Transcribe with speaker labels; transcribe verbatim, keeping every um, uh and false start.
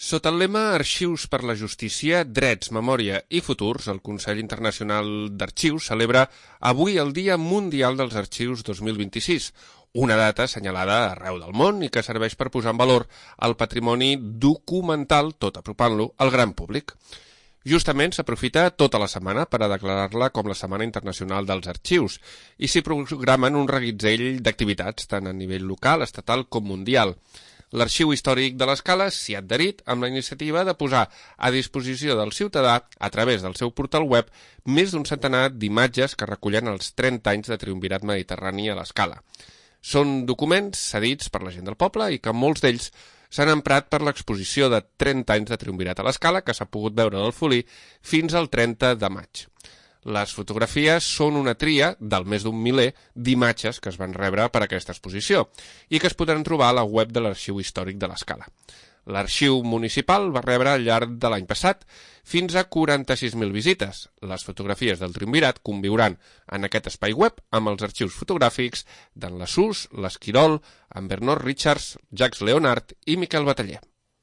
Speaker 1: Sota el lema Arxius per la Justícia, Drets, Memòria i Futurs, el Consell Internacional d'Arxius celebra avui el Dia Mundial dels Arxius dos mil vint-i-sis, una data assenyalada arreu del món i que serveix per posar en valor el patrimoni documental, tot apropant-lo al gran públic. Justament s'aprofita tota la setmana per a declarar-la com la Setmana Internacional dels Arxius i s'hi programen un reguitzell d'activitats tant a nivell local, estatal com mundial. L'Arxiu Històric de l'Escala s'hi ha adherit amb la iniciativa de posar a disposició del ciutadà, a través del seu portal web, més d'un centenar d'imatges que recullen els trenta anys de triumvirat mediterrani a l'Escala. Són documents cedits per la gent del poble i que molts d'ells s'han emprat per l'exposició de trenta anys de triumvirat a l'Escala que s'ha pogut veure del Folí fins al trenta de maig. Les fotografies són una tria del més d'un miler d'imatges que es van rebre per aquesta exposició i que es podran trobar a la web de l'Arxiu Històric de l'Escala. L'arxiu municipal va rebre al llarg de l'any passat fins a quaranta-sis mil visites. Les fotografies del triumvirat conviuran en aquest espai web amb els arxius fotogràfics d'en Lasús, l'Esquirol, en Bernard Richards, Jacques Leonard i Miquel Bataller.